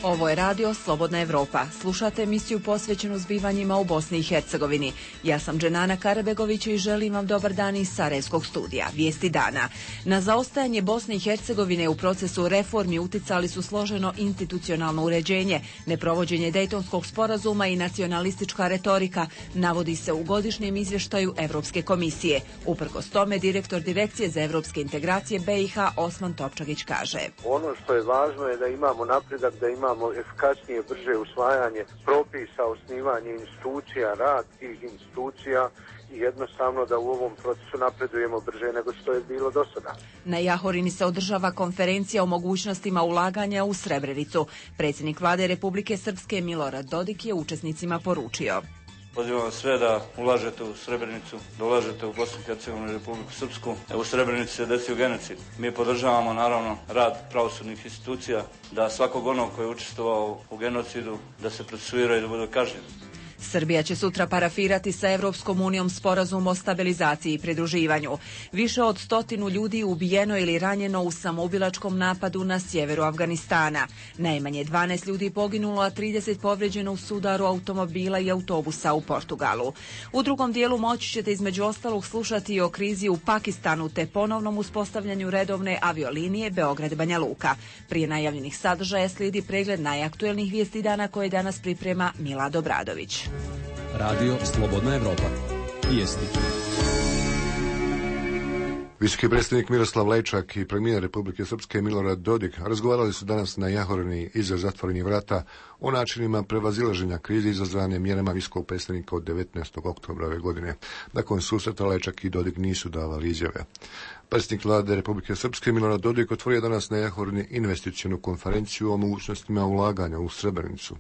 Ovo je radio Slobodna Evropa. Slušate emisiju posvećenu zbivanjima u Bosni i Hercegovini. Ja sam Dženana Karabegović i želim vam dobar dan iz Sarajevskog studija. Vijesti dana. Na zaostajanje Bosne i Hercegovine u procesu reformi uticali su složeno institucionalno uređenje, neprovođenje Dejtonskog sporazuma i nacionalistička retorika, navodi se u godišnjem izvještaju Evropske komisije. Uprkos tome, direktor Direkcije za evropske integracije BiH Osman Topčagić kaže: ono što je važno je da imamo napredak, da imamo efikasnije, brže usvajanje propisa, osnivanje institucija, rad tih institucija i jednostavno da u ovom procesu napredujemo brže nego što je bilo do sada. Na Jahorini se održava konferencija o mogućnostima ulaganja u Srebrenicu. Predsjednik vlade Republike Srpske Milorad Dodik je učesnicima poručio: pozivam vas sve da ulažete u Srebrenicu, da ulažete u Bosnu i Hercegovinu i Republiku Srpsku. U Srebrenici se desio genocid. Mi podržavamo naravno rad pravosudnih institucija, da svakog onog koji je učestvovao u genocidu da se procesuira i da bude kažnjen. Srbija će sutra parafirati sa Evropskom unijom sporazum o stabilizaciji i pridruživanju. Više od 100 ljudi ubijeno ili ranjeno u samoubilačkom napadu na sjeveru Afganistana. Najmanje 12 ljudi poginulo, a 30 povređeno u sudaru automobila i autobusa u Portugalu. U drugom dijelu moći ćete između ostalog slušati o krizi u Pakistanu te ponovnom uspostavljanju redovne aviolinije Beograd-Banja Luka. Prije najavljenih sadržaja slijedi pregled najaktuelnijih vijesti dana koje danas priprema Milad Obradović. Radio Slobodna Evropa. Vijesti. Visoki predstavnik Miroslav Lajčak i premijer Republike Srpske Milorad Dodik razgovarali su danas na Jahorini iza zatvorenih vrata o načinima prevazilaženja krize izazvane mjerama visokog predstavnika od 19. oktobra ove godine. Nakon susreta Lajčak i Dodik nisu davali izjave. Predsjednik vlade Republike Srpske Milorad Dodik otvorio danas na Jahorini investicionu konferenciju o mogućnostima ulaganja u Srebrenicu.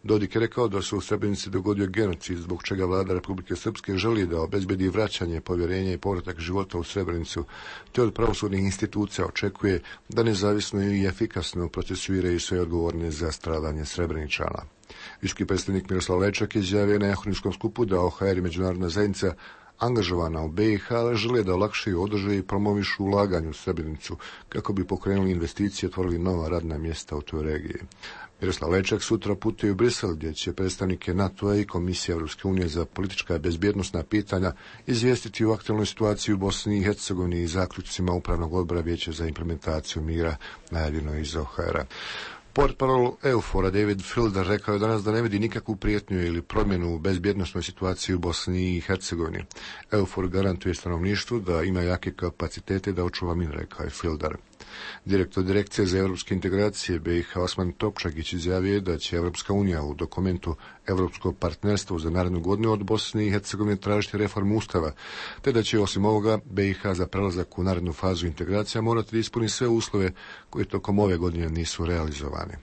Dodik je rekao da se u Srebrenici dogodio genocid, zbog čega vlada Republike Srpske želi da obezbedi vraćanje povjerenja i povratak života u Srebrenicu, te od pravosudnih institucija očekuje da nezavisno i efikasno procesuiraju sve odgovorne za stradanje Srebreničana. Visoki predstavnik Miroslav Lajčak izjavio na Jahorinskom skupu da OHR i međunarodna zajednica angažovana u BiH žele da olakšaju, održe i promovišu ulaganje u Srebrenicu kako bi pokrenuli investicije i otvorili nova radna mjesta u toj regiji. Miroslav Lajčak sutra putuje u Brisel, gdje će predstavnike NATO-a i Komisije Evropske unije za politička i bezbjednosna pitanja izvijestiti o aktualnoj situaciji u Bosni i Hercegovini i zaključcima Upravnog odbora Vijeća za implementaciju mira, najavljeno iz OHR-a. Portparol EUFOR-a David Filder rekao je danas da ne vidi nikakvu prijetnju ili promjenu u bezbjednosnoj situaciji u Bosni i Hercegovini. EUFOR garantuje stanovništvu da ima jake kapacitete da očuva mir, rekao je Filder. Direktor Direkcije za evropske integracije BiH Osman Topčagić izjavio da će Evropska unija u dokumentu Evropsko partnerstvo za narednu godinu od Bosne i Hercegovine tražiti reformu Ustava, te da će osim ovoga BiH za prelazak u narednu fazu integracija morati da ispuni sve uslove koji tokom ove godine nisu realizovani.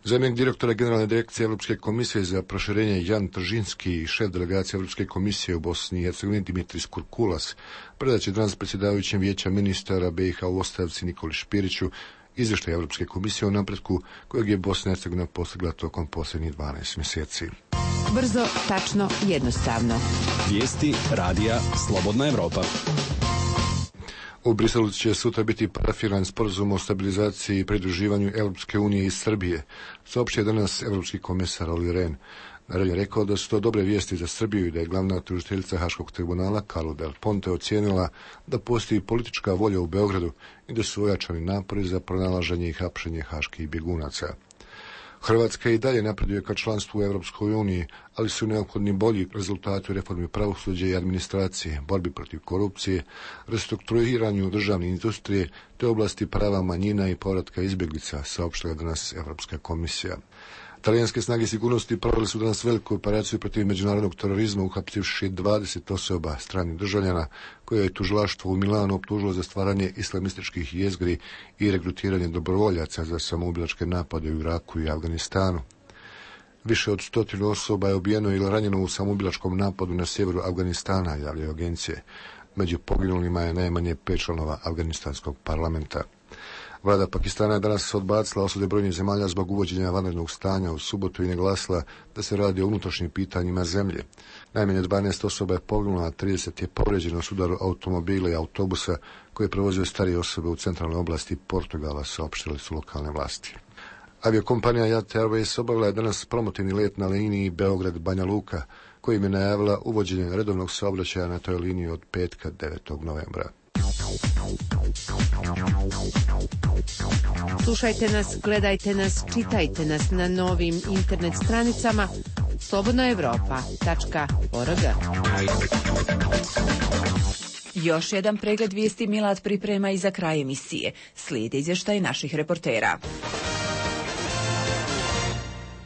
Zamjenik direktora Generalne direkcije Evropske komisije za proširenje Jan Tržinski i šef delegacije Evropske komisije u Bosni i Hercegovini Dimitris Kurkulas predaće danas predsjedavajućem Vijeća ministara BiH u ostavci Nikoli Špiriću izvještaj Evropske komisije o napretku kojeg je Bosna i Hercegovina postigla tokom posljednjih 12 mjeseci. Brzo, tačno, jednostavno. Vijesti radija Slobodna Evropa. U Briselu će sutra biti parafiran sporazum o stabilizaciji i pridruživanju Europske unije i Srbije, saopštio danas Evropski komesar Olli Rehn. Naravno je rekao da su to dobre vijesti za Srbiju i da je glavna tužiteljica Haškog tribunala Carla Del Ponte ocijenila da postoji politička volja u Beogradu i da su ojačani napori za pronalaženje i hapšenje haških bjegunaca. Hrvatska i dalje napreduje ka članstvu u Europskoj uniji, ali su neophodni bolji rezultati u reformi pravosuđa i administracije, borbi protiv korupcije, restrukturiranju državne industrije te oblasti prava manjina i povratka izbjeglica, saopštila danas Europska komisija. Talijanske snage sigurnosti proveli su danas veliku operaciju protiv međunarodnog terorizma, uhapsivši 20 osoba stranih državljana koje je tužilaštvo u Milanu optužilo za stvaranje islamističkih jezgri i regrutiranje dobrovoljaca za samoubilačke napade u Iraku i Afganistanu. Više od 100 osoba je ubijeno ili ranjeno u samoubilačkom napadu na sjeveru Afganistana, javljaju agencije. Među poginulima je najmanje 5 članova afganistanskog parlamenta. Vlada Pakistana je danas odbacila osude brojnih zemalja zbog uvođenja vanrednog stanja u subotu i naglasila da se radi o unutrašnjim pitanjima zemlje. Najmanje 12 osoba je poginulo, a 30 je povrijeđeno u sudaru automobila i autobusa koji je prevozio starije osobe u centralnoj oblasti Portugala, saopštili su lokalne vlasti. Aviokompanija Jat Airways obavila je danas promotivni let na liniji Beograd-Banja Luka, kojim je najavila uvođenje redovnog saobraćaja na toj liniji od petka 9. novembra. Slušajte nas, gledajte nas, čitajte nas na novim internet stranicama slobodnaevropa.org. Još jedan pregled vijesti Milad priprema i za kraj emisije. Slijedi izvještaj naših reportera.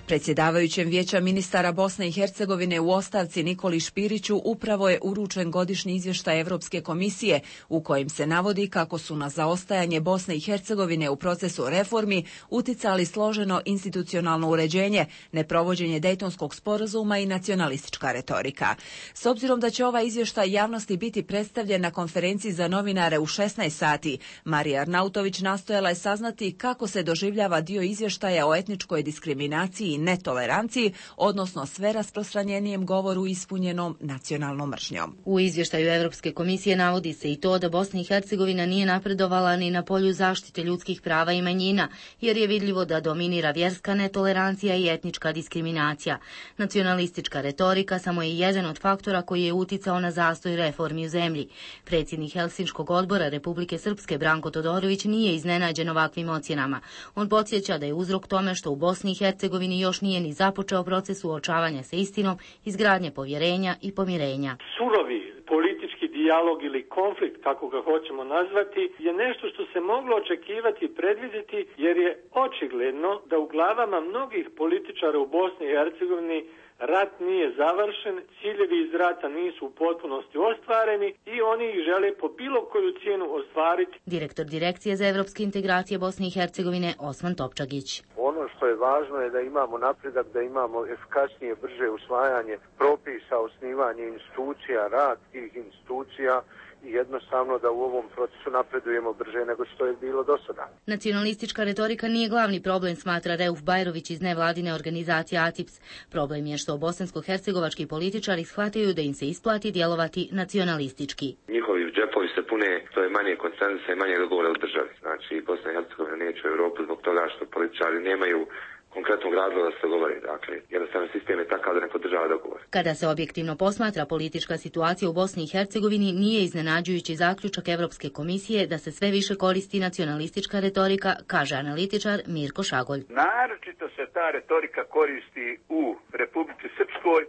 Predsjedavajućem Vijeća ministara Bosne i Hercegovine u ostavci Nikoli Špiriću upravo je uručen godišnji izvještaj Europske komisije u kojem se navodi kako su na zaostajanje Bosne i Hercegovine u procesu reformi uticali složeno institucionalno uređenje, neprovođenje Dejtonskog sporazuma i nacionalistička retorika. S obzirom da će ovaj izvještaj javnosti biti predstavljen na konferenciji za novinare u 16 sati, Marija Arnautović nastojala je saznati kako se doživljava dio izvještaja o etničkoj diskriminaciji i netoleranciji, odnosno sve rasprostranjenijem govoru ispunjenom nacionalnom mržnjom. U izvještaju Europske komisije navodi se i to da Bosna i Hercegovina nije napredovala ni na polju zaštite ljudskih prava i manjina, jer je vidljivo da dominira vjerska netolerancija i etnička diskriminacija. Nacionalistička retorika samo je jedan od faktora koji je uticao na zastoj reformi u zemlji. Predsjednik Helsinškog odbora Republike Srpske Branko Todorović nije iznenađen ovakvim ocjenama. On podsjeća da je uzrok tome što u Bosni i Hercegovini još nije ni započeo proces suočavanja sa istinom, izgradnje povjerenja i pomirenja. Surovi politički dijalog ili konflikt, kako ga hoćemo nazvati, je nešto što se moglo očekivati i predvidjeti, jer je očigledno da u glavama mnogih političara u Bosni i Hercegovini rat nije završen, ciljevi iz rata nisu u potpunosti ostvareni i oni ih žele po bilo koju cijenu ostvariti. Direktor Direkcije za evropske integracije Bosne i Hercegovine Osman Topčagić. Ono što je važno je da imamo napredak, da imamo efikasnije, brže usvajanje propisa, osnivanje institucija, rad tih institucija i jednostavno da u ovom procesu napredujemo brže nego što je bilo do sada. Nacionalistička retorika nije glavni problem, smatra Reuf Bajrović iz nevladine organizacije ATIPS. Problem je što bosansko-hercegovački političari shvataju da im se isplati djelovati nacionalistički. Njihovi džepovi se pune, to je manje konsenzusa i manje dogovora u državi. Znači, Bosna i Hercegovina neće u Europu zbog toga što političari nemaju konkretnog razloga da se govori. Dakle, jednostavno sistem je takav da ne podržava dogovor. Kada se objektivno posmatra politička situacija u Bosni i Hercegovini, nije iznenađujući zaključak Europske komisije da se sve više koristi nacionalistička retorika, kaže analitičar Mirko Šagolj. Naročito se ta retorika koristi u Republici Srpskoj.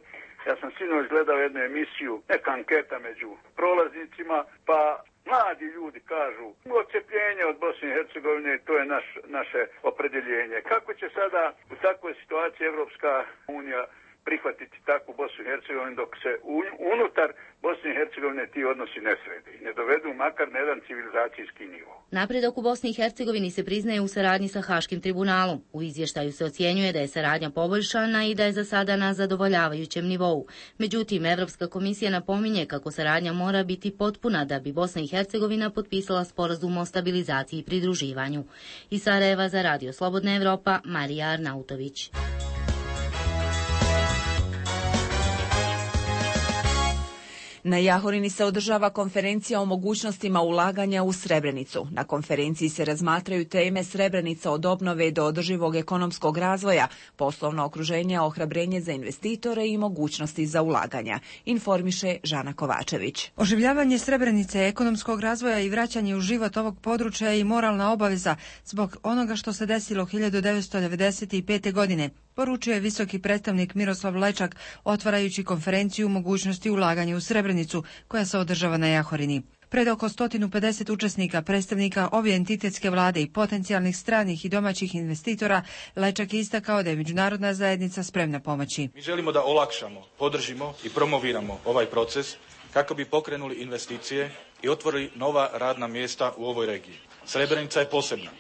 Ja sam sinoć gledao jednu emisiju, neka anketa među prolaznicima, pa mladi ljudi kažu odcepljenje od Bosne i Hercegovine, to je naše opredjeljenje. Kako će sada u takvoj situaciji Evropska unija prihvatiti takvu Bosnu i Hercegovinu dok se unutar Bosne i Hercegovine ti odnosi ne srede i ne dovedu makar na jedan civilizacijski nivo. Napredak u Bosni i Hercegovini se priznaje u saradnji sa Haškim tribunalom. U izvještaju se ocjenjuje da je saradnja poboljšana i da je za sada na zadovoljavajućem nivou. Međutim, Evropska komisija napominje kako saradnja mora biti potpuna da bi Bosna i Hercegovina potpisala sporazum o stabilizaciji i pridruživanju. Iz Sarajeva za Radio Slobodna Evropa, Marija Arnautović. Na Jahorini se održava konferencija o mogućnostima ulaganja u Srebrenicu. Na konferenciji se razmatraju teme Srebrenica od obnove do održivog ekonomskog razvoja, poslovno okruženje, ohrabrenje za investitore i mogućnosti za ulaganja, informiše Žana Kovačević. Oživljavanje Srebrenice, ekonomskog razvoja i vraćanje u život ovog područja je i moralna obaveza zbog onoga što se desilo 1995. godine, poručio je visoki predstavnik Miroslav Lečak, otvarajući konferenciju o mogućnosti ulaganja u Srebrenicu, koja se održava na Jahorini. Pred oko 150 učesnika, predstavnika obje entitetske vlade i potencijalnih stranih i domaćih investitora, Lečak je istakao da je međunarodna zajednica spremna pomoći. Mi želimo da olakšamo, podržimo i promoviramo ovaj proces kako bi pokrenuli investicije i otvorili nova radna mjesta u ovoj regiji. Srebrenica je posebna.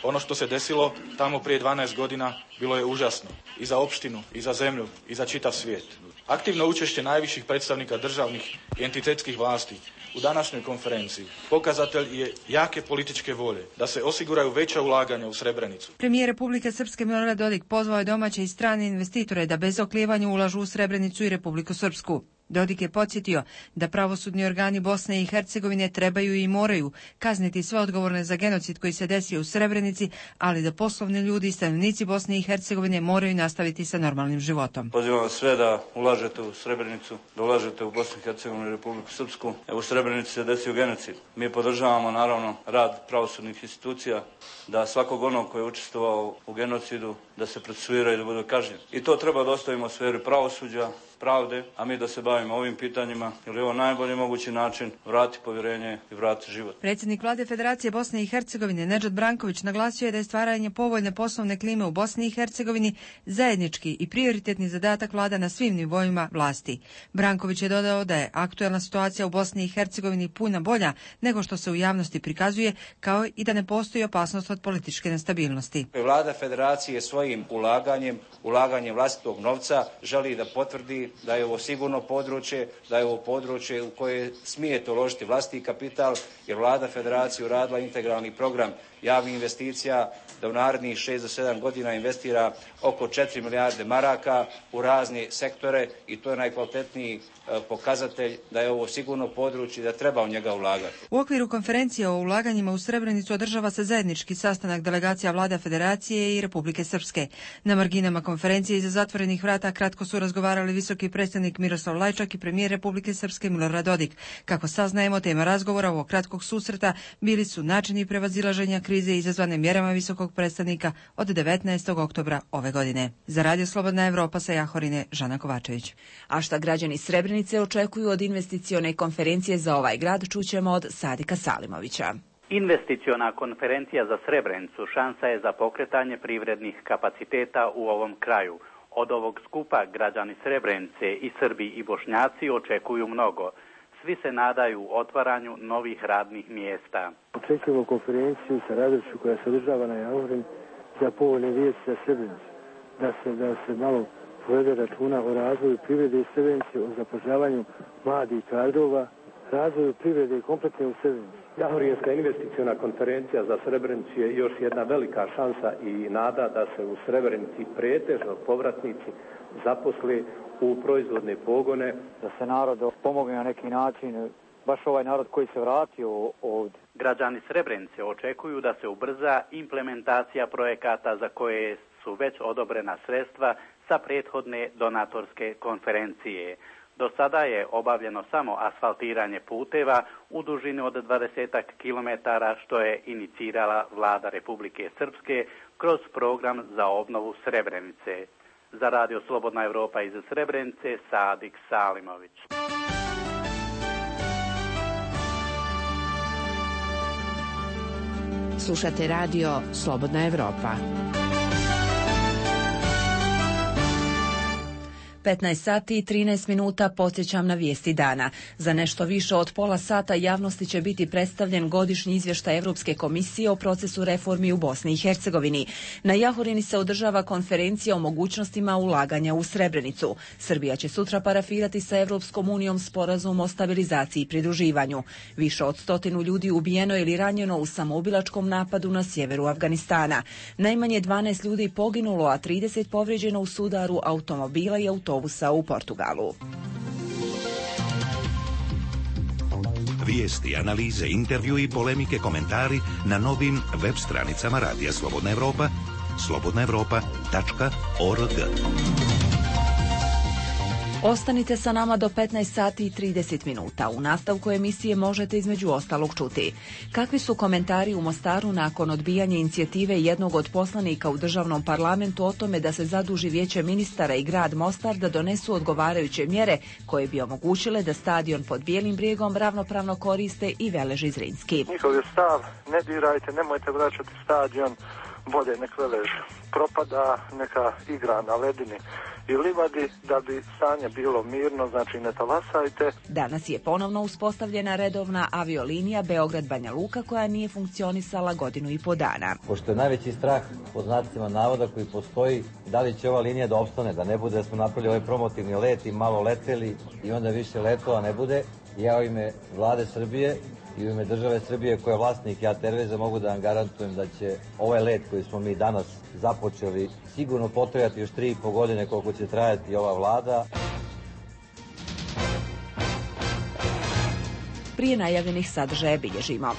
Ono što se desilo tamo prije 12 godina bilo je užasno i za opštinu, i za zemlju, i za čitav svijet. Aktivno učešće najviših predstavnika državnih i entitetskih vlasti u današnjoj konferenciji pokazatelj je jake političke volje da se osiguraju veća ulaganja u Srebrenicu. Premijer Republike Srpske Milorad Dodik pozvao je domaće i strane investitore da bez oklijevanja ulažu u Srebrenicu i Republiku Srpsku. Dodik je podsjetio da pravosudni organi Bosne i Hercegovine trebaju i moraju kazniti sve odgovorne za genocid koji se desio u Srebrenici, ali da poslovni ljudi i stanovnici Bosne i Hercegovine moraju nastaviti sa normalnim životom. Pozivam vas sve da ulažete u Srebrenicu, da ulažete u Bosnu i Hercegovinu i Republiku Srpsku. U Srebrenici se desio genocid. Mi podržavamo naravno rad pravosudnih institucija, da svakog onog koji je učestvovao u genocidu da se procesuira i da bude kažnjen. I to treba da ostavimo u sferi pravosuđa, pravde, a mi da se bavimo ovim pitanjima, jer je ovo najbolji mogući način vratiti povjerenje i vratiti život. Predsjednik Vlade Federacije Bosne i Hercegovine Nedžad Branković naglasio je da je stvaranje povoljne poslovne klime u Bosni i Hercegovini zajednički i prioritetni zadatak vlada na svim nivoima vlasti. Branković je dodao da je aktuelna situacija u Bosni i Hercegovini puno bolja nego što se u javnosti prikazuje, kao i da ne postoji opasnost od političke nestabilnosti. Vlada Federacije svojim ulaganjem vlastitog novca želi da potvrdi da je ovo sigurno područje, da je ovo područje u koje smijete uložiti vlastiti kapital, jer Vlada Federacije uradila integralni program javnih investicija, da u narednih 6 do 7 godina investira oko 4 milijarde maraka u razne sektore i to je najkvalitetniji pokazatelj da je ovo sigurno područje i da treba u njega ulagati. U okviru konferencije o ulaganjima u Srebrenicu održava se zajednički sastanak delegacija Vlada Federacije i Republike Srpske. Na marginama konferencije iza zatvorenih vrata kratko su razgovarali visoki predstavnik Miroslav Lajčak i premijer Republike Srpske Milorad Dodik. Kako saznajemo, tema razgovora ovog kratkog susreta bili su načini prevazilaženja krize izazvane mjerama visokog predstavnika od 19. oktobra ove godine. Za Radio Slobodna Evropa sa Jahorine, Žana Kovačević. A šta građani Srebrenice očekuju od investicione konferencije za ovaj grad, čućemo od Sadika Salimovića. Investiciona konferencija za Srebrenicu šansa je za pokretanje privrednih kapaciteta u ovom kraju. Od ovog skupa građani Srebrenice i Srbi i Bošnjaci očekuju mnogo. Svi se nadaju otvaranju novih radnih mjesta. Očekujemo konferenciju sa radošću koja se održava na Jahorini za povoljne vijesti za Srebrenicu. Da se malo povede računa o razvoju privrede i Srebrenice, o zapošljavanju mladih kadrova, razvoju privrede kompletne u Srebrenici. Jahorinska investiciona konferencija za Srebrenicu je još jedna velika šansa i nada da se u Srebrenici pretežno povratnici zaposle u proizvodne pogone. Da se narod pomogne na neki način, baš ovaj narod koji se vratio ovdje. Građani Srebrenice očekuju da se ubrza implementacija projekata za koje su već odobrena sredstva sa prethodne donatorske konferencije. Do sada je obavljeno samo asfaltiranje puteva u dužini od 20 kilometara, što je inicirala Vlada Republike Srpske kroz program za obnovu Srebrenice. Za Radio Slobodna Evropa iz Srebrenice, Sadik Salimović. Slušate Radio Slobodna Evropa. 15 sati i 13 minuta podsjećam na vijesti dana. Za nešto više od pola sata javnosti će biti predstavljen godišnji izvještaj Europske komisije o procesu reformi u Bosni i Hercegovini. Na Jahorini se održava konferencija o mogućnostima ulaganja u Srebrenicu. Srbija će sutra parafirati sa Evropskom unijom sporazum o stabilizaciji i pridruživanju. Više od 100 ljudi ubijeno ili ranjeno u samoubilačkom napadu na sjeveru Afganistana. Najmanje 12 ljudi poginulo, a 30 povrijeđeno u sudaru automobila i autobusa u Portugalu. Vijesti, analize, intervju i polemike, komentari na novim web stranicama Radija Slobodna Evropa, slobodnaevropa.org. Ostanite sa nama do 15 sati i 30 minuta. U nastavku emisije možete između ostalog čuti kakvi su komentari u Mostaru nakon odbijanja inicijative jednog od poslanika u državnom parlamentu o tome da se zaduži Vijeće ministara i grad Mostar da donesu odgovarajuće mjere koje bi omogućile da stadion pod Bijelim brijegom ravnopravno koriste i Velež i Zrinski. Njihov je stav, ne dirajte, nemojte vraćati stadion, bolje nek Velež propada, neka igra na ledini i livadi, da bi stanje bilo mirno, znači ne talasajte. Danas je ponovno uspostavljena redovna aviolinija Beograd-Banja Luka koja nije funkcionisala 1,5 godinu. Pošto je najveći strah, pod znacima navoda koji postoji, da li će ova linija da opstane, da ne bude da smo napravili ovaj promotivni let i malo leteli i onda više letova ne bude. Ja u ime Vlade Srbije i u ime države Srbije koja je vlasnik JAT Airwaysa mogu da vam garantujem da će ovaj let koji smo mi danas započeli sigurno potrajati još 3,5 godine koliko će trajati ova vlada. prije najavljenih sadržaja bilježimo.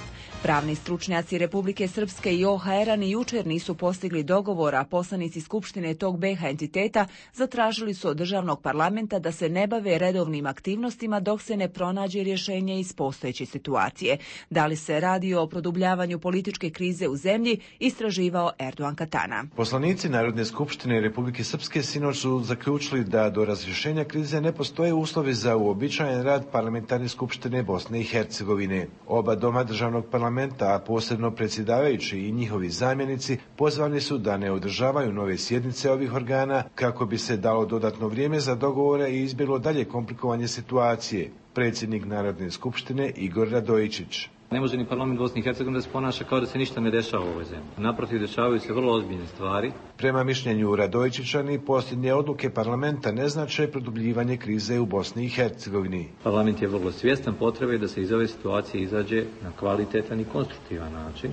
Pravni stručnjaci Republike Srpske i OHR-a ni jučer nisu postigli dogovor, a poslanici Skupštine tog BiH entiteta zatražili su od državnog parlamenta da se ne bave redovnim aktivnostima dok se ne pronađe rješenje iz postojeće situacije. Da li se radi o produbljavanju političke krize u zemlji, istraživao Erdogan Katana. Poslanici Narodne skupštine Republike Srpske sinoć su zaključili da do razrješenja krize ne postoje uslovi za uobičajen rad parlamentarne skupštine Bosne i Hercegovine. Oba doma državnog parlamenta, a posebno predsjedavajući i njihovi zamjenici, pozvani su da ne održavaju nove sjednice ovih organa kako bi se dalo dodatno vrijeme za dogovore i izbjeglo dalje komplikovanje situacije. Predsjednik Narodne skupštine Igor Radojičić. Ne može ni parlament Bosne i Hercegovine da se ponaša kao da se ništa ne dešava u ovoj zemlji. Naprotiv, dešavaju se vrlo ozbiljne stvari. Prema mišljenju Radojičića, ni posljednje odluke parlamenta ne znače produbljivanje krize u Bosni i Hercegovini. Parlament je vrlo svjestan potrebe da se iz ove situacije izađe na kvalitetan i konstruktivan način.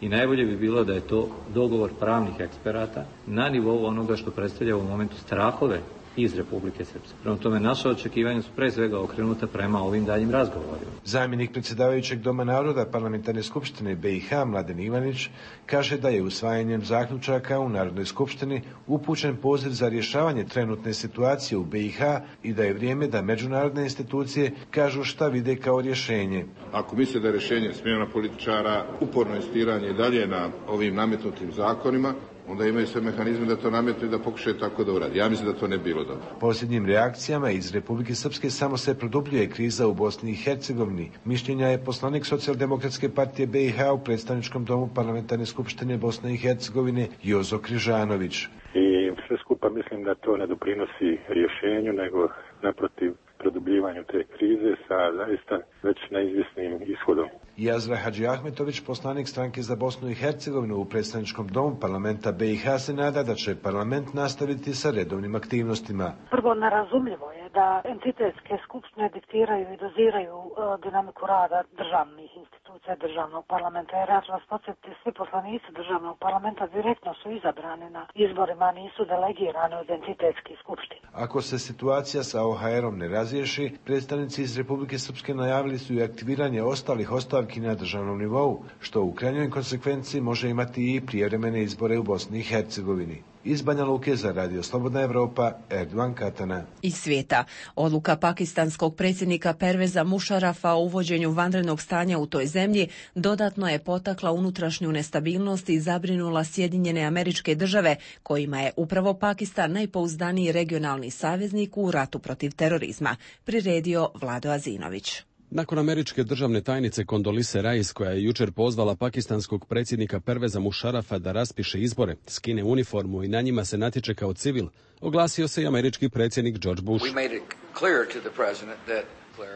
I najbolje bi bilo da je to dogovor pravnih eksperata na nivou onoga što predstavlja u momentu strahove iz Republike Srpske. Prema tome, naša očekivanja su pre svega okrenuta prema ovim daljim razgovorima. Zamjenik predsjedavajućeg Doma naroda Parlamentarne skupštine BiH Mladen Ivanić kaže da je usvajanjem zaključaka u Narodnoj skupštini upućen poziv za rješavanje trenutne situacije u BiH i da je vrijeme da međunarodne institucije kažu šta vide kao rješenje. Ako misle da je rješenje smjena političara, uporno insistiranje i dalje na ovim nametnutim zakonima, onda imaju sve mehanizme da to nametnu i da pokušaju tako da uradi. Ja mislim da to ne bilo dobro. Posljednjim reakcijama iz Republike Srpske samo se produbljuje kriza u Bosni i Hercegovini. Mišljenja je poslanik Socijaldemokratske partije BiH u predstavničkom domu Parlamentarne skupštine Bosne i Hercegovine Jozo Križanović. I sve skupa mislim da to ne doprinosi rješenju, nego naprotiv produbljivanju te krize sa zaista već neizvjesnim ishodom. Jazra Hadžiahmetović, poslanik stranke za Bosnu i Hercegovinu u predstavničkom domu parlamenta BiH, se nada da će parlament nastaviti sa redovnim aktivnostima. Prvo, nerazumljivo je da entitetske skupštine diktiraju i doziraju dinamiku rada državnih institucija, državnog parlamenta. Jer ja ću vas podsjetiti, svi poslanici državnog parlamenta direktno su izabrani na izborima, nisu delegirani od entitetskih skupština. Ako se situacija sa OHR-om ne razriješi, predstavnici iz Republike Srpske najavili su i aktiviranje ostalih ostavki na državnom nivou, što u krajnjoj konsekvenciji može imati i prijevremene izbore u Bosni i Hercegovini. Iz Banja Luke za Radio Slobodna Evropa, Erdogan Katana. Iz svijeta. Odluka pakistanskog predsjednika Perveza Mušarafa o uvođenju vanrednog stanja u toj zemlji dodatno je potakla unutrašnju nestabilnost i zabrinula Sjedinjene Američke Države, kojima je upravo Pakistan najpouzdaniji regionalni saveznik u ratu protiv terorizma, priredio Vlado Azinović. Nakon američke državne tajnice Kondolise Rice, koja je jučer pozvala pakistanskog predsjednika Perveza Mušarafa da raspiše izbore, skine uniformu i na njima se natječe kao civil, oglasio se i američki predsjednik George Bush.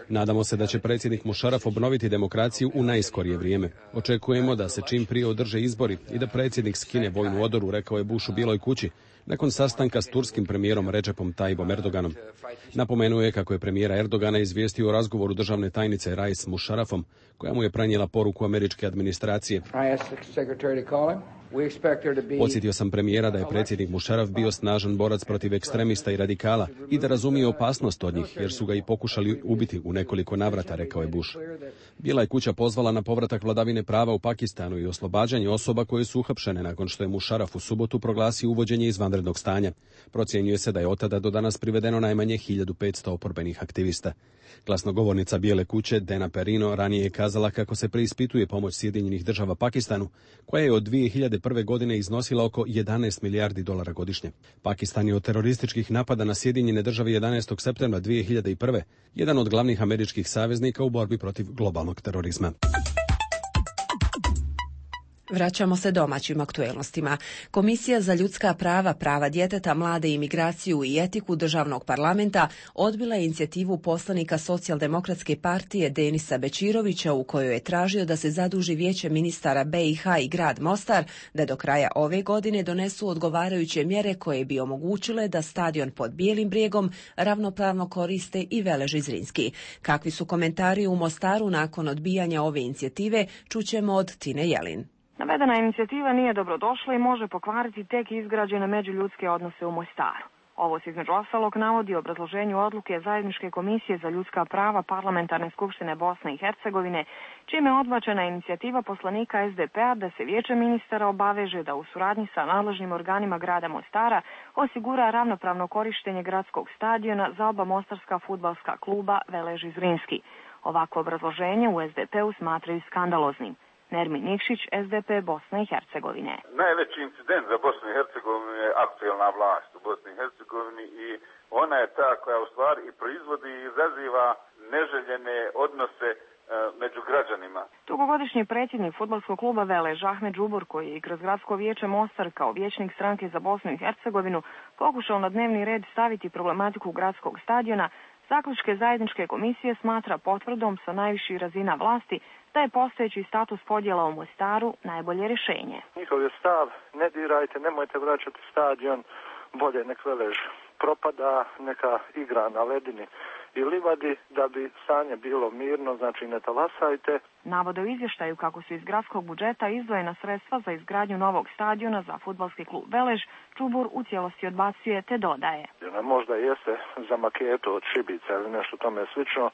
Nadamo se da će predsjednik Mušaraf obnoviti demokraciju u najskorije vrijeme. Očekujemo da se čim prije održe izbori i da predsjednik skine vojnu odoru, rekao je Bush u Bijeloj kući, nakon sastanka s turskim premijerom Recepom Tayyipom Erdoganom. Napomenuo je kako je premijera Erdogana izvijestio o razgovoru državne tajnice Rice s Mušarafom, koja mu je prenijela poruku američke administracije. Podsjetio sam premijera da je predsjednik Mušaraf bio snažan borac protiv ekstremista i radikala i da razumije opasnost od njih, jer su ga i pokušali ubiti u nekoliko navrata, rekao je Bush. Bijela je kuća pozvala na povratak vladavine prava u Pakistanu i oslobađanje osoba koje su uhapšene nakon što je Mušaraf u subotu proglasio uvođenje izvanrednog stanja. Procjenjuje se da je od tada do danas privedeno najmanje 1500 oporbenih aktivista. Glasnogovornica Bijele kuće Dana Perino ranije je kazala kako se preispituje pomoć Sjedinjenih Država Pakistanu, koja je od 2001. godine iznosila oko 11 milijardi dolara godišnje. Pakistan je od terorističkih napada na Sjedinjene Države 11. septembra 2001. jedan od glavnih američkih saveznika u borbi protiv globalnog terorizma. Vraćamo se domaćim aktuelnostima. Komisija za ljudska prava, prava djeteta, mlade, imigraciju i etiku državnog parlamenta odbila je inicijativu poslanika Socijaldemokratske partije Denisa Bečirovića u kojoj je tražio da se zaduži Vijeće ministara BiH i grad Mostar da do kraja ove godine donesu odgovarajuće mjere koje bi omogućile da stadion pod Bijelim brijegom ravnopravno koriste i Veleži Zrinski. Kakvi su komentari u Mostaru nakon odbijanja ove inicijative, čućemo od Tine Jelin. Navedena inicijativa nije dobrodošla i može pokvariti tek izgrađene međuljudske odnose u Mostaru. Ovo se između ostalog navodi u obrazloženju odluke Zajedničke komisije za ljudska prava Parlamentarne skupštine Bosne i Hercegovine, čime je odbačena inicijativa poslanika SDP-a da se Vijeće ministara obaveže da u suradnji sa nadležnim organima grada Mostara osigura ravnopravno korištenje gradskog stadiona za oba mostarska fudbalska kluba Velež i Zrinski. Ovako obrazloženje u SDP-u smatraju skandaloznim. Nermin Nikšić, SDP Bosne i Hercegovine. Najveći incident za Bosnu i Hercegovinu je aktuelna vlast u Bosni i Hercegovini i ona je ta koja u stvari i proizvodi i izaziva neželjene odnose među građanima. Dugogodišnji predsjednik fudbalskog kluba Velež Ahmed Džubur, koji je kroz gradsko vijeće Mostar kao vijećnik stranke za Bosnu i Hercegovinu pokušao na dnevni red staviti problematiku gradskog stadiona, zaključke Zajedničke komisije smatra potvrdom sa najviših razina vlasti da je postojeći status podjela u Mostaru najbolje rješenje. Njihov je stav, ne dirajte, nemojte vraćati stadion, bolje nek Velež propada, neka igra na ledini i livadi da bi stanje bilo mirno, znači ne talasajte. Navode u izvještaju kako su iz gradskog budžeta izdvojena sredstva za izgradnju novog stadiona za fudbalski klub Velež, Čubur u cijelosti odbacuje te dodaje. Možda jeste za maketu od šibica ili nešto tome slično,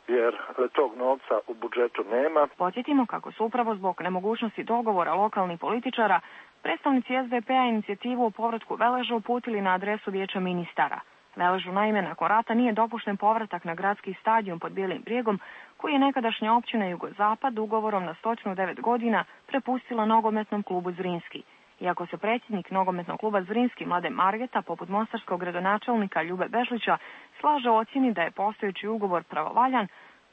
jer tog novca u budžetu nema. Podsjetimo kako su upravo zbog nemogućnosti dogovora lokalnih političara predstavnici SDP-a inicijativu o povratku Veleža uputili na adresu Vijeća ministara. Veležu naime nakon rata nije dopušten povratak na gradski stadion pod Bijelim brijegom, koji je nekadašnja općina Jugozapad ugovorom na 109 godina prepustila nogometnom klubu Zrinski. Iako se predsjednik nogometnog kluba Zrinski Mladen Margeta, poput mostarskog gradonačelnika Ljube Bežlića, slaže u ocjeni da je postojeći ugovor pravovaljan,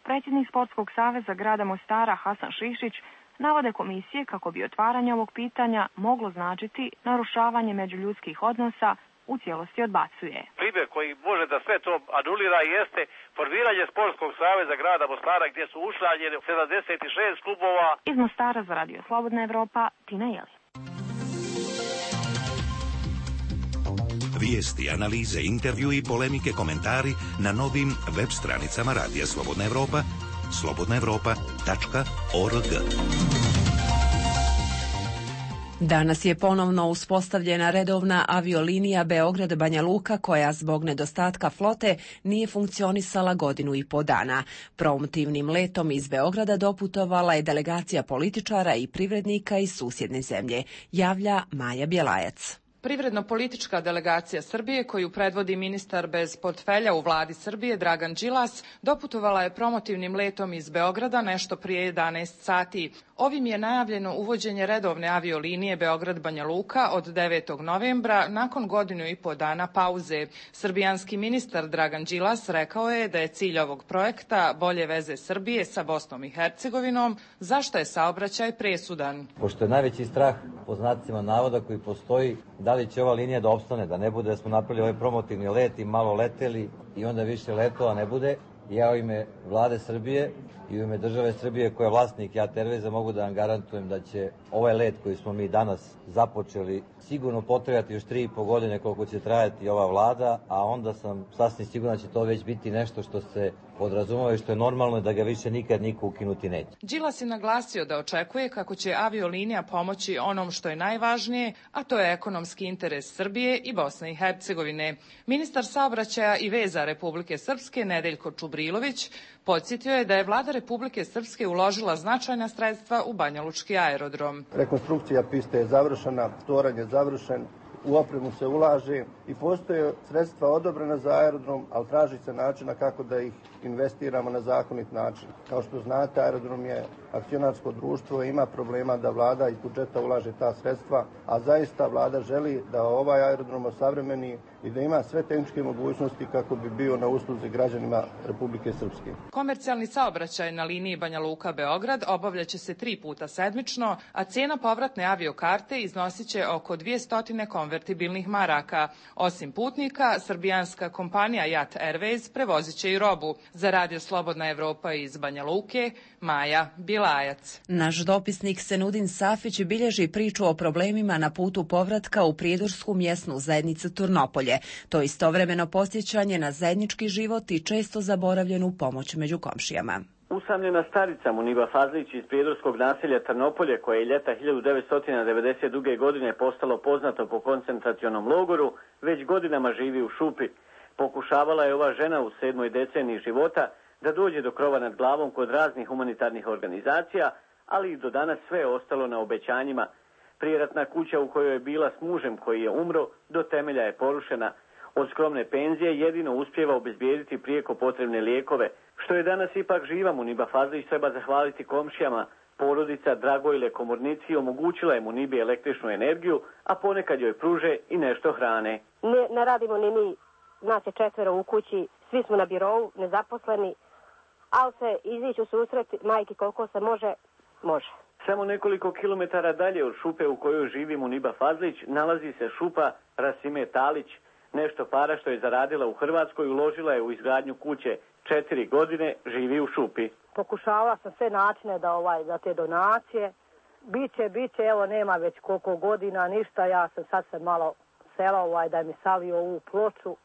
predsjednik Sportskog saveza grada Mostara Hasan Šišić navode komisije kako bi otvaranje ovog pitanja moglo značiti narušavanje međuljudskih odnosa, u cijelosti odbacuje. Primjer koji može da sve to anulira jeste formiranje Sportskog saveza grada Mostara gdje su učlanjeni 76 klubova. Iz Mostara za Radio Slobodna Evropa, Tina Jeli. Vijesti, analize, intervju i polemike, komentari na novim web stranicama Radija Slobodna Evropa, slobodnaevropa.org. Danas je ponovno uspostavljena redovna aviolinija Beograd-Banja Luka koja zbog nedostatka flote nije funkcionisala godinu i po dana. Promotivnim letom iz Beograda doputovala je delegacija političara i privrednika iz susjedne zemlje, javlja Maja Bjelajac. Privredno-politička delegacija Srbije, koju predvodi ministar bez portfelja u vladi Srbije Dragan Đilas, doputovala je promotivnim letom iz Beograda nešto prije 11 sati. Ovim je najavljeno uvođenje redovne aviolinije Beograd-Banja Luka od 9. novembra nakon godinu i po dana pauze. Srbijanski ministar Dragan Đilas rekao je da je cilj ovog projekta bolje veze Srbije sa Bosnom i Hercegovinom, zašto je saobraćaj presudan. Pošto je najveći strah, po znacima navoda koji postoji, da li će ova linija da opstane, da ne bude da smo napravili ovaj promotivni let i malo leteli i onda više letova ne bude. Ja u ime vlade Srbije i u ime države Srbije koja je vlasnik JAT Airwaysa mogu da vam garantujem da će ovaj let koji smo mi danas započeli sigurno potrebati još 3,5 godine koliko će trajati ova vlada, a onda sam sasvim siguran da će to već biti nešto što se podrazumeva i što je normalno da ga više nikad niko ukinuti neće. Đilas je naglasio da očekuje kako će aviolinija pomoći onom što je najvažnije, a to je ekonomski interes Srbije i Bosne i Hercegovine. Ministar saobraćaja i veza Republike Srpske Nedeljko Čubrilović podsjetio je da je vlada Republike Srpske uložila značajna sredstva u Banjalučki aerodrom. Rekonstrukcija piste je završena, toranj je završen, u opremu se ulaže i postoje sredstva odobrena za aerodrom, ali traži se načina kako da ih investiramo na zakonit način. Kao što znate, aerodrom je akcionarsko društvo i ima problema da vlada iz budžeta ulaže ta sredstva, a zaista vlada želi da ovaj aerodrom osavremeni i da ima sve tehničke mogućnosti kako bi bio na usluzi građanima Republike Srpske. Komercijalni saobraćaj na liniji Banja Luka-Beograd obavljaće se 3 puta sedmično, a cena povratne aviokarte iznosit će oko 200 konvertibilnih maraka. Osim putnika, srbijanska kompanija JAT Airways prevozit će i robu. Za Radio Slobodna Evropa iz Banja Luke, Maja Bjelajac. Naš dopisnik Senudin Safić bilježi priču o problemima na putu povratka u prijedorsku mjesnu zajednicu Turnopolje. To istovremeno podsjećanje na zajednički život i često zaboravljenu pomoć među komšijama. Usamljena starica Muniba Fazlić iz prijedorskog naselja Trnopolje, koje je ljeta 1992. godine postalo poznato po koncentracionom logoru, već godinama živi u šupi. Pokušavala je ova žena u 7. deceniji života da dođe do krova nad glavom kod raznih humanitarnih organizacija, ali i do danas sve je ostalo na obećanjima. Prijeratna kuća u kojoj je bila s mužem koji je umro, do temelja je porušena. Od skromne penzije jedino uspijeva obezbijediti prijeko potrebne lijekove. Što je danas ipak živa Muniba Fazlić treba zahvaliti komšijama. Porodica Dragojle Komornici omogućila je Munibi električnu energiju, a ponekad joj pruže i nešto hrane. Ne radimo ni mi, nas je 4 u kući, svi smo na birovu, nezaposleni, ali se izići u susret majki koliko se može. Samo nekoliko kilometara dalje od šupe u kojoj živi Muniba Fazlić nalazi se šupa Rasime Talić. Nešto para što je zaradila u Hrvatskoj uložila je u izgradnju kuće. 4 godine živi u šupi. Pokušavala sam sve načine da te donacije. Biće, evo nema već koliko godina, ništa. Ja sam sad se malo sela da mi savio ovu ploču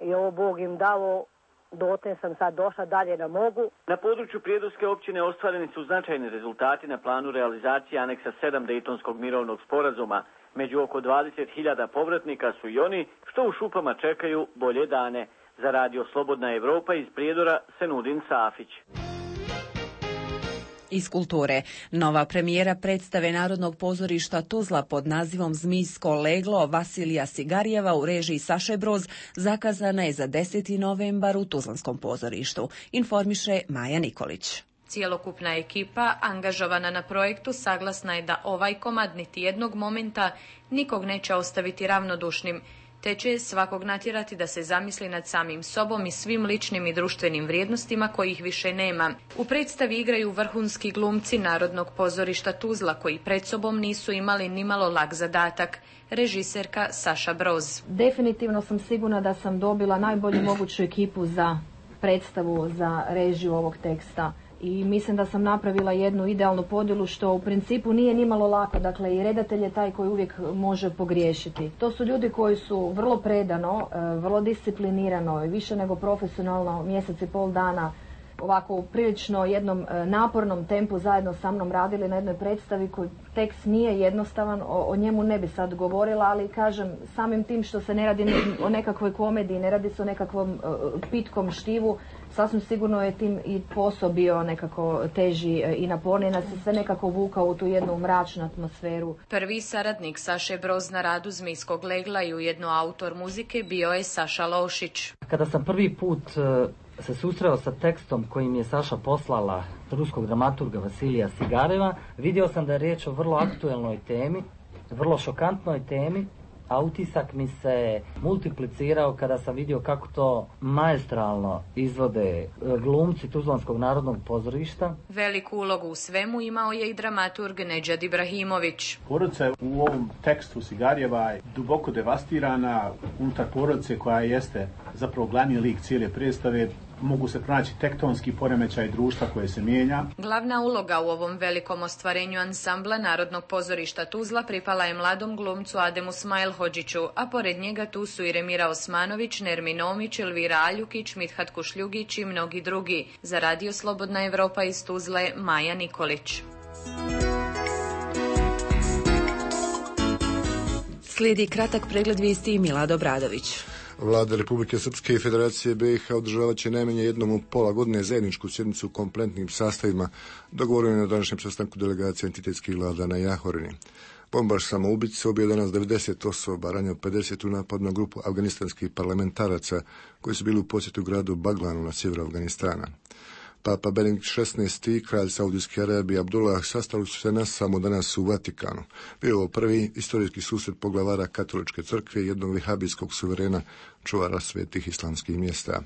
i ovo Bog im dalo. Dotle sam sad došla, dalje ne mogu. Na području Prijedorske općine ostvareni su značajni rezultati na planu realizacije aneksa 7 Dejtonskog mirovnog sporazuma. Među oko 20.000 povratnika su i oni što u šupama čekaju bolje dane. Za radio Slobodna Evropa iz Prijedora Senudin Safić. Iz kulture. Nova premijera predstave Narodnog pozorišta Tuzla pod nazivom Zmijsko leglo Vasilija Sigarijeva u režiji Saše Broz zakazana je za 10. novembar u Tuzlanskom pozorištu, informiše Maja Nikolić. Cijelokupna ekipa angažovana na projektu saglasna je da ovaj komad niti jednog momenta nikog neće ostaviti ravnodušnim, te će svakog natjerati da se zamisli nad samim sobom i svim ličnim i društvenim vrijednostima kojih više nema. U predstavi igraju vrhunski glumci Narodnog pozorišta Tuzla koji pred sobom nisu imali nimalo lak zadatak. Režiserka Saša Broz. Definitivno sam sigurna da sam dobila najbolju moguću ekipu za predstavu, za režiju ovog teksta. I mislim da sam napravila jednu idealnu podjelu što u principu nije nimalo lako. Dakle, i redatelj je taj koji uvijek može pogriješiti. To su ljudi koji su vrlo predano, vrlo disciplinirano i više nego profesionalno mjesec i pol dana ovako u prilično jednom napornom tempu zajedno sa mnom radili na jednoj predstavi koji tekst nije jednostavan, o njemu ne bi sad govorila, ali kažem samim tim što se ne radi o nekakvoj komediji, ne radi se o nekakvom pitkom štivu, sasvim sigurno je tim i posao bio nekako teži i naporniji, nas se sve nekako vukao u tu jednu mračnu atmosferu. Prvi saradnik Saše Broz na radu Zmijskog legla i ujedno autor muzike bio je Saša Lošić. Kada sam prvi put se susreo sa tekstom kojim je Saša poslala ruskog dramaturga Vasilija Sigareva, vidio sam da je riječ o vrlo aktuelnoj temi, vrlo šokantnoj temi, a utisak mi se multiplicirao kada sam vidio kako to maestralno izvode glumci Tuzlanskog narodnog pozorišta. Veliku ulogu u svemu imao je i dramaturg Nedžad Ibrahimović. Porodica je u ovom tekstu Sigarijeva duboko devastirana. Unutar porodice koja jeste zapravo glavni lik cijele predstave mogu se pronaći tektonski poremećaj društva koje se mijenja. Glavna uloga u ovom velikom ostvarenju ansambla Narodnog pozorišta Tuzla pripala je mladom glumcu Ademu Smajlhodžiću, a pored njega tu su i Remira Osmanović, Nermin Omić, Elvira Aljukić, Mithat Kušljugić i mnogi drugi. Za radio Slobodna Evropa iz Tuzle, Maja Nikolić. Slijedi kratak pregled vijesti i Milad Obradović. Vlada Republike Srpske i Federacije BiH održavat će najmanje jednom u pola godine zajedničku sjednicu u kompletnim sastavima, dogovoreno na današnjem sastanku delegacije entitetskih vlada na Jahorini. Bombaš samoubice ubio danas 90 osoba, ranio 50 u napad na grupu afganistanskih parlamentaraca koji su bili u posjetu gradu Baglanu na sjeveru Afganistana. Papa Benedikt XVI i kralj Saudijske Arabije Abdullah sastali su se samo danas u Vatikanu. Bio je ovo prvi istorijski susret poglavara katoličke crkve i jednog vehabijskog suverena, čuvara svetih islamskih mjesta.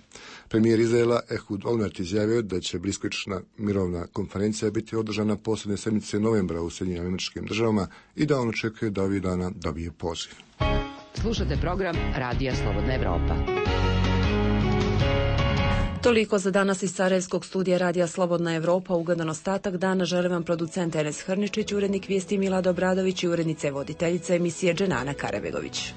Premijer Izraela Ehud Olmert izjavio da će bliskoistočna mirovna konferencija biti održana posljednje sedmice novembra u Sjedinjenim Američkim Državama i da on očekuje da ovih dana dobije poziv. Slušate program Radija Slobodna Evropa. Toliko za danas iz Sarajevskog studija Radija Slobodna Evropa. Ugodan ostatak dana žele vam producent Enes Hrničić, urednik vijesti Milad Obradović i urednice voditeljice emisije Dženana Karabegović.